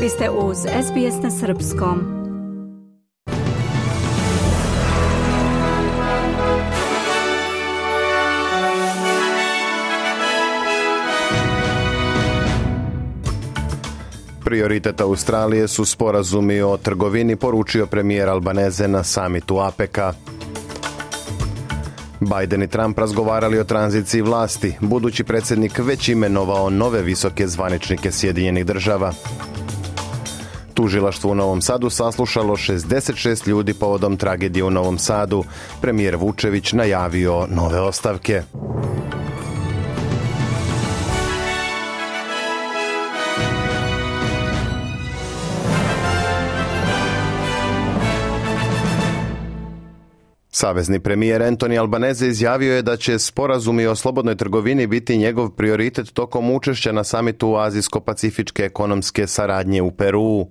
Vi ste uz SBS na srpskom. Prioritet Australije su sporazumi o trgovini, poručio premijer Albanese na samitu APEC-a. Biden i Trump razgovarali o tranziciji vlasti. Budući predsjednik već imenovao nove visoke zvaničnike Sjedinjenih država. Tužilaštvo u Novom Sadu saslušalo 66 ljudi povodom tragedije u Novom Sadu. Premijer Vučević najavio nove ostavke. Savezni premijer Anthony Albanese izjavio je da će sporazumi o slobodnoj trgovini biti njegov prioritet tokom učešća na samitu Azijsko-pacifičke ekonomske saradnje u Peruu.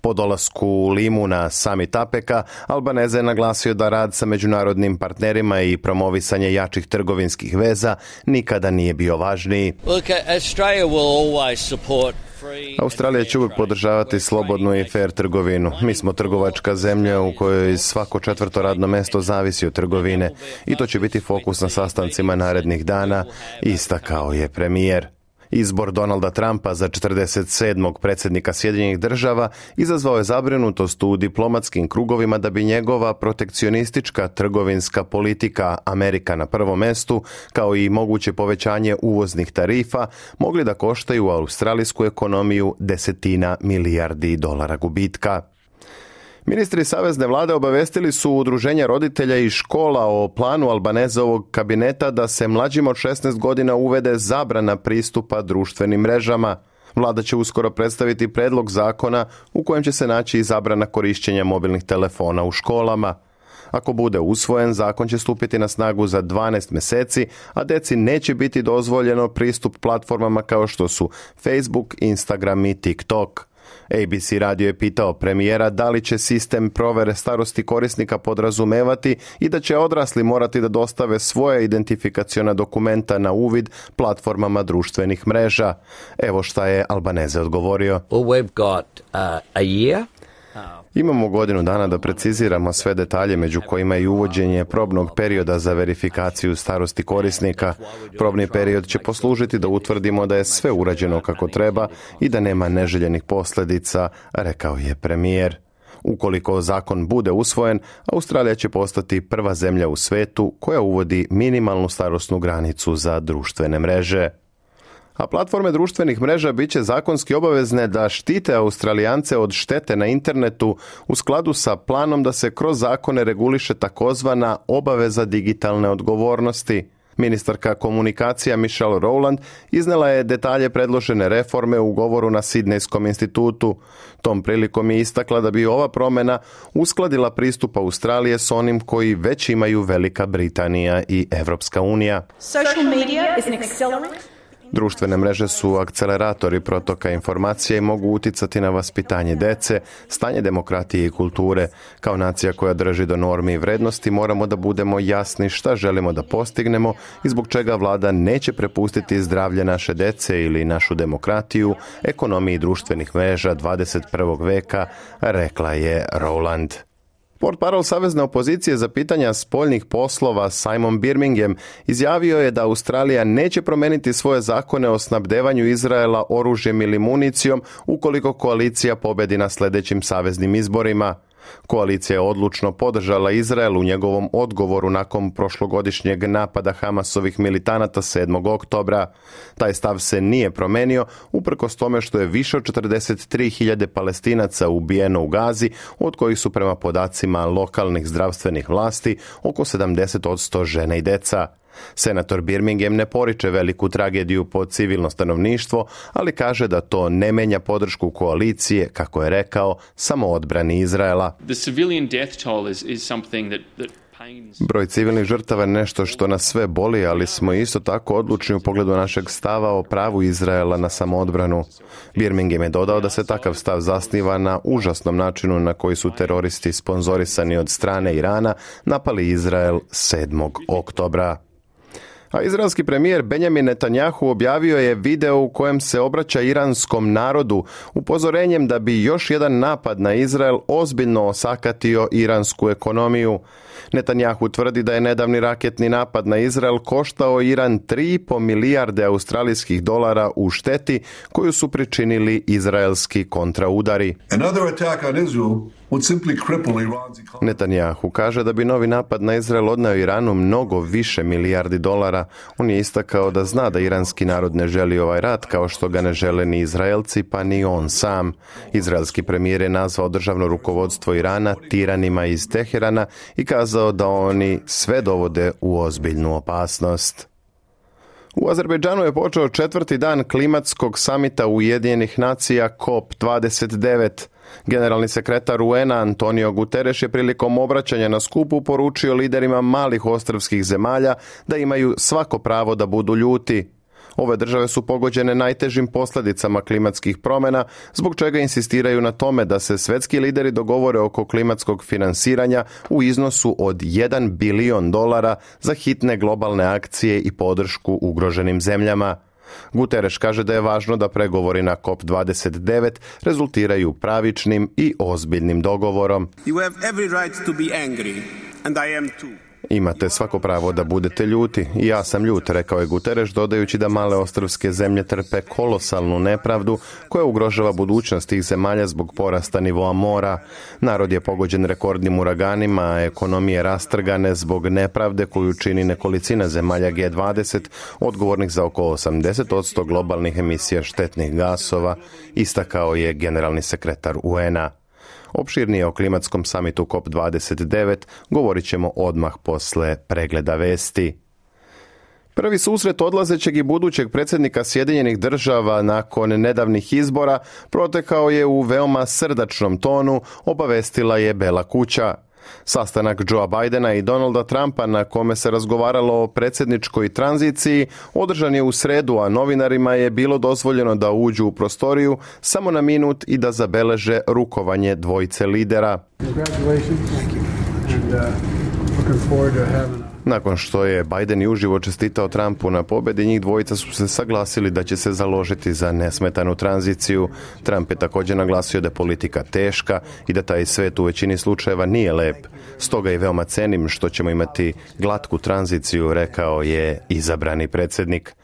Po dolasku u Limu na samit APEC-a, Albanese je naglasio da rad sa međunarodnim partnerima i promovisanje jačih trgovinskih veza nikada nije bio važniji. Australija će uvijek podržavati slobodnu i fair trgovinu. Mi smo trgovačka zemlja u kojoj svako 4. radno mjesto zavisi od trgovine i to će biti fokus na sastancima narednih dana, istakao je premijer. Izbor Donalda Trumpa za 47. predsjednika Sjedinjenih država izazvao je zabrinutost u diplomatskim krugovima da bi njegova protekcionistička trgovinska politika, Amerika na prvom mjestu, kao i moguće povećanje uvoznih tarifa, mogli da koštaju australijsku ekonomiju $10 milijardi gubitka. Ministri savezne vlade obavestili su udruženja roditelja i škola o planu Albanesovog kabineta da se mlađim od 16 godina uvede zabrana pristupa društvenim mrežama. Vlada će uskoro predstaviti predlog zakona u kojem će se naći i zabrana korišćenja mobilnih telefona u školama. Ako bude usvojen, zakon će stupiti na snagu za 12 mjeseci, a djeci neće biti dozvoljeno pristup platformama kao što su Facebook, Instagram i TikTok. ABC radio je pitao premijera da li će sistem provere starosti korisnika podrazumevati i da će odrasli morati da dostave svoje identifikaciona dokumenta na uvid platformama društvenih mreža. Evo šta je Albanese odgovorio. Imamo godinu dana da preciziramo sve detalje, među kojima i uvođenje probnog perioda za verifikaciju starosti korisnika. Probni period će poslužiti da utvrdimo da je sve urađeno kako treba i da nema neželjenih posljedica, rekao je premijer. Ukoliko zakon bude usvojen, Australija će postati prva zemlja u svetu koja uvodi minimalnu starosnu granicu za društvene mreže. A platforme društvenih mreža bit će zakonski obavezne da štite Australijance od štete na internetu u skladu sa planom da se kroz zakone reguliše takozvana obaveza digitalne odgovornosti. Ministarka komunikacija Michelle Rowland iznela je detalje predložene reforme u govoru na Sidnejskom institutu. Tom prilikom je istakla da bi ova promjena uskladila pristup Australije s onim koji već imaju Velika Britanija i Evropska unija. Social media is an accelerant. Društvene mreže su akceleratori protoka informacija i mogu uticati na vaspitanje dece, stanje demokratije i kulture. Kao nacija koja drži do normi i vrednosti moramo da budemo jasni šta želimo da postignemo i zbog čega vlada neće prepustiti zdravlje naše dece ili našu demokratiju ekonomiji društvenih mreža 21. veka, rekla je Rowland. Portparol Savezne opozicije za pitanja spoljnih poslova Simon Birmingham izjavio je da Australija neće promijeniti svoje zakone o snabdevanju Izraela oružjem ili municijom ukoliko koalicija pobedi na sljedećim saveznim izborima. Koalicija je odlučno podržala Izrael u njegovom odgovoru nakon prošlogodišnjeg napada Hamasovih militanata 7. oktobra. Taj stav se nije promenio uprkos tome što je više od 43.000 Palestinaca ubijeno u Gazi, od kojih su prema podacima lokalnih zdravstvenih vlasti oko 70% žene i deca. Senator Birmingham ne poriče veliku tragediju po civilno stanovništvo, ali kaže da to ne menja podršku koalicije, kako je rekao, samoodbrani Izraela. Broj civilnih žrtava je nešto što nas sve boli, ali smo isto tako odlučni u pogledu našeg stava o pravu Izraela na samoodbranu. Birmingham je dodao da se takav stav zasniva na užasnom načinu na koji su teroristi sponzorisani od strane Irana napali Izrael 7. oktobra. A izraelski premijer Benjamin Netanjahu objavio je video u kojem se obraća iranskom narodu upozorenjem da bi još jedan napad na Izrael ozbiljno osakatio iransku ekonomiju. Netanjahu tvrdi da je nedavni raketni napad na Izrael koštao Iran 3,5 milijarde australijskih dolara u šteti koju su pričinili izraelski kontraudari. Netanjahu kaže da bi novi napad na Izrael odneo Iranu mnogo više milijardi dolara. On je istakao da zna da iranski narod ne želi ovaj rat kao što ga ne žele ni Izraelci pa ni on sam. Izraelski premijer je nazvao državno rukovodstvo Irana tiranima iz Teherana i kazao da oni sve dovode u ozbiljnu opasnost. U Azerbejdžanu je počeo 4. dan klimatskog samita Ujedinjenih nacija COP29. Generalni sekretar UN-a Antonio Guterres je prilikom obraćanja na skupu poručio liderima malih ostrvskih zemalja da imaju svako pravo da budu ljuti. Ove države su pogođene najtežim posljedicama klimatskih promjena, zbog čega insistiraju na tome da se svjetski lideri dogovore oko klimatskog finansiranja u iznosu od $1 bilion za hitne globalne akcije i podršku ugroženim zemljama. Guterres kaže da je važno da pregovori na COP29 rezultiraju pravičnim i ozbiljnim dogovorom. You have every right to be angry, and I am too. Imate svako pravo da budete ljuti i ja sam ljut, rekao je Guterres, dodajući da male ostrvske zemlje trpe kolosalnu nepravdu koja ugrožava budućnost tih zemalja zbog porasta nivoa mora. Narod je pogođen rekordnim uraganima, a ekonomije rastrgane zbog nepravde koju čini nekolicina zemalja G20, odgovornih za oko 80% globalnih emisija štetnih gasova, istakao je generalni sekretar UN-a. Opširnije o klimatskom samitu COP29 govorit ćemo odmah posle pregleda vesti. Prvi susret odlazećeg i budućeg predsjednika Sjedinjenih Država nakon nedavnih izbora protekao je u veoma srdačnom tonu, obavestila je Bela kuća. Sastanak Joea Bidena i Donalda Trumpa na kome se razgovaralo o predsjedničkoj tranziciji održan je u sredu, a novinarima je bilo dozvoljeno da uđu u prostoriju samo na minut i da zabeleže rukovanje dvojice lidera. Nakon što je Biden i uživo čestitao Trumpu na pobjedi, njih dvojica su se saglasili da će se založiti za nesmetanu tranziciju. Trump je također naglasio da je politika teška i da taj svet u većini slučajeva nije lep. Stoga i veoma cenim što ćemo imati glatku tranziciju, rekao je izabrani predsjednik.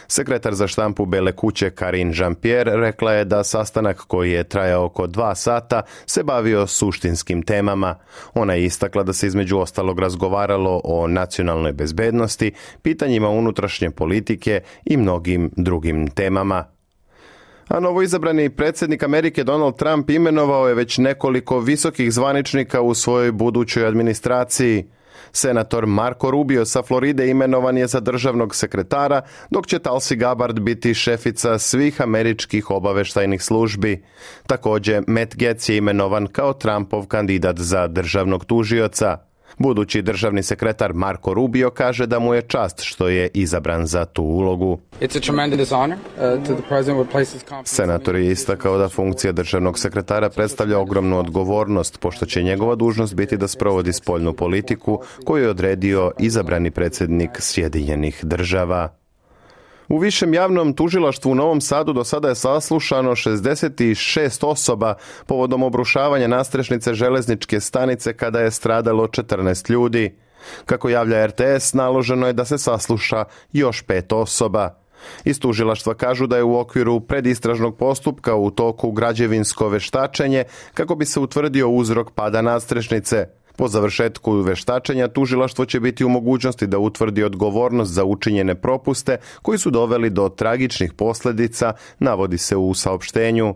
Sekretar za štampu Bele kuće Karine Jean-Pierre rekla je da sastanak koji je trajao oko 2 sata se bavio suštinskim temama. Ona je istakla da se između ostalog razgovaralo o nacionalnoj bezbednosti, pitanjima unutrašnje politike i mnogim drugim temama. A novoizabrani predsjednik Amerike Donald Trump imenovao je već nekoliko visokih zvaničnika u svojoj budućoj administraciji. Senator Marco Rubio sa Floride imenovan je za državnog sekretara, dok će Tulsi Gabbard biti šefica svih američkih obaveštajnih službi. Također, Matt Gaetz je imenovan kao Trumpov kandidat za državnog tužioca. Budući državni sekretar Marco Rubio kaže da mu je čast što je izabran za tu ulogu. Senator je istakao da funkcija državnog sekretara predstavlja ogromnu odgovornost, pošto će njegova dužnost biti da sprovodi spoljnu politiku koju je odredio izabrani predsjednik Sjedinjenih Država. U Višem javnom tužilaštvu u Novom Sadu do sada je saslušano 66 osoba povodom obrušavanja nadstrešnice železničke stanice kada je stradalo 14 ljudi. Kako javlja RTS, naloženo je da se sasluša još 5 osoba. Iz tužilaštva kažu da je u okviru predistražnog postupka u toku građevinsko veštačenje kako bi se utvrdio uzrok pada nadstrešnice. Po završetku veštačenja tužilaštvo će biti u mogućnosti da utvrdi odgovornost za učinjene propuste koji su doveli do tragičnih posljedica, navodi se u saopštenju.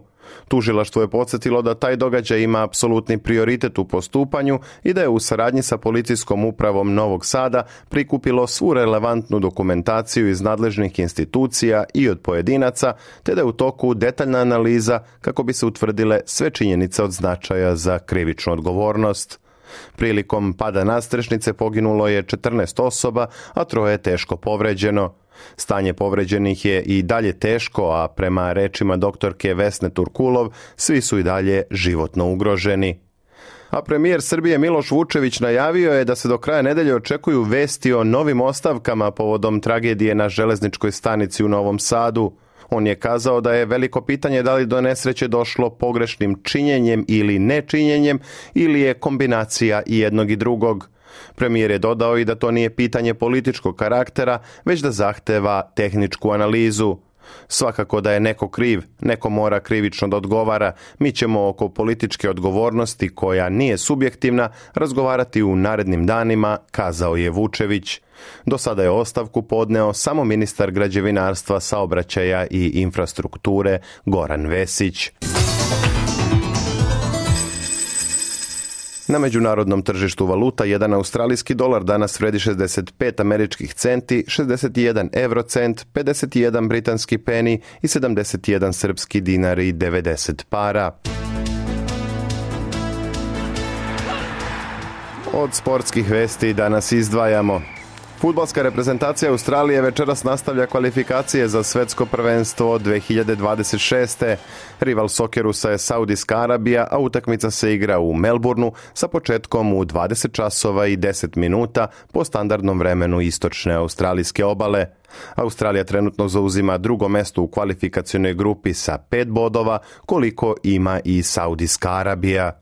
Tužilaštvo je podsjetilo da taj događaj ima apsolutni prioritet u postupanju i da je u saradnji sa policijskom upravom Novog Sada prikupilo svu relevantnu dokumentaciju iz nadležnih institucija i od pojedinaca, te da je u toku detaljna analiza kako bi se utvrdile sve činjenice od značaja za krivičnu odgovornost. Prilikom pada nadstrešnice poginulo je 14 osoba, a 3 je teško povređeno. Stanje povređenih je i dalje teško, a prema rečima doktorke Vesne Turkulov, svi su i dalje životno ugroženi. A premijer Srbije Miloš Vučević najavio je da se do kraja nedelje očekuju vesti o novim ostavkama povodom tragedije na železničkoj stanici u Novom Sadu. On je kazao da je veliko pitanje da li do nesreće došlo pogrešnim činjenjem ili nečinjenjem ili je kombinacija i jednog i drugog. Premijer je dodao i da to nije pitanje političkog karaktera, već da zahteva tehničku analizu. Svakako da je neko kriv, neko mora krivično da odgovara. Mi ćemo oko političke odgovornosti, koja nije subjektivna, razgovarati u narednim danima, kazao je Vučević. Do sada je ostavku podneo samo ministar građevinarstva, saobraćaja i infrastrukture Goran Vesić. Na međunarodnom tržištu valuta jedan australijski dolar danas vredi 65 američkih centi, 61 eurocent, 51 britanski peni i 71 srpski dinar i 90 para. Od sportskih vesti danas izdvajamo. Fudbalska reprezentacija Australije večeras nastavlja kvalifikacije za svetsko prvenstvo 2026. Rival Sokerusa je Saudijska Arabija, a utakmica se igra u Melbourneu sa početkom u 20 časova i 10 minuta po standardnom vremenu istočne australijske obale. Australija trenutno zauzima drugo mesto u kvalifikacionoj grupi sa 5 bodova, koliko ima i Saudijska Arabija.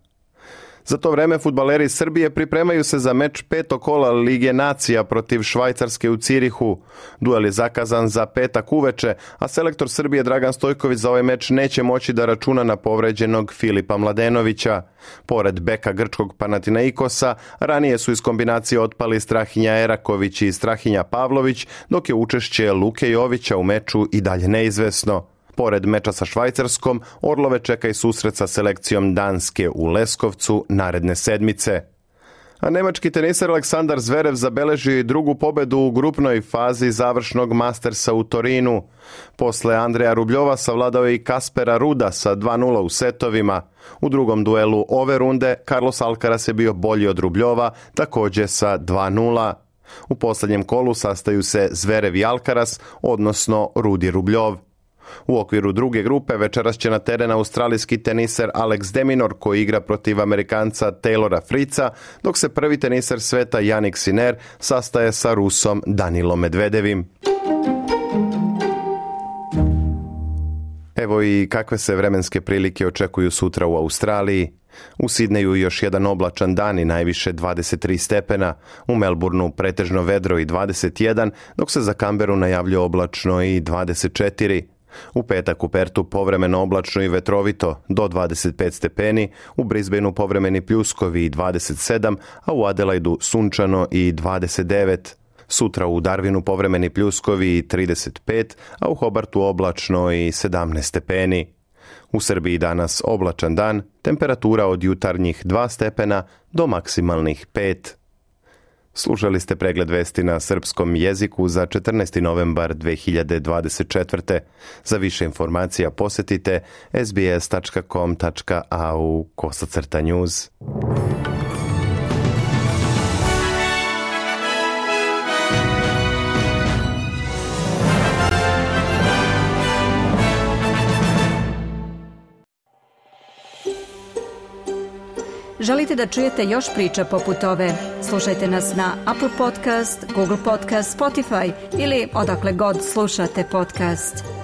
Za to vreme fudbaleri Srbije pripremaju se za meč 5. kola Lige nacija protiv Švajcarske u Cirihu. Duel je zakazan za petak uveče, a selektor Srbije Dragan Stojković za ovaj meč neće moći da računa na povređenog Filipa Mladenovića. Pored beka grčkog Panathinaikosa, ranije su iz kombinacije otpali Strahinja Eraković i Strahinja Pavlović, dok je učešće Luke Jovića u meču i dalje neizvesno. Pored meča sa Švajcarskom, Orlove čeka i susret sa selekcijom Danske u Leskovcu naredne sedmice. A nemački teniser Aleksandar Zverev zabeležio i drugu pobedu u grupnoj fazi završnog Mastersa u Torinu. Posle Andreja Rubljova savladao je i Kaspera Ruda sa 2:0 u setovima. U drugom duelu ove runde Carlos Alcaraz je bio bolji od Rubljova, također sa 2:0. U posljednjem kolu sastaju se Zverev i Alcaraz, odnosno Rudi Rubljov. U okviru druge grupe večeras će na teren australijski teniser Alex de Minaur, koji igra protiv Amerikanca Taylora Fritza, dok se prvi teniser sveta Jannik Sinner sastaje sa Rusom Danilom Medvedevim. Evo i kakve se vremenske prilike očekuju sutra u Australiji. U Sidneju još jedan oblačan dan i najviše 23 stepena, u Melbourneu pretežno vedro i 21, dok se za Kamberu najavljuje oblačno i 24. U petak u Pertu povremeno oblačno i vetrovito do 25 stepeni, u Brisbaneu povremeni pljuskovi i 27, a u Adelaidu sunčano i 29. Sutra u Darwinu povremeni pljuskovi i 35, a u Hobartu oblačno i 17 stepeni. U Srbiji danas oblačan dan, temperatura od jutarnjih 2 stepena do maksimalnih 5. Slušali ste pregled vesti na srpskom jeziku za 14. novembar 2024. Za više informacija posjetite sbs.com.au/news. Želite da čujete još priča poput ove? Slušajte nas na Apple Podcast, Google Podcast, Spotify ili odakle god slušate podcast.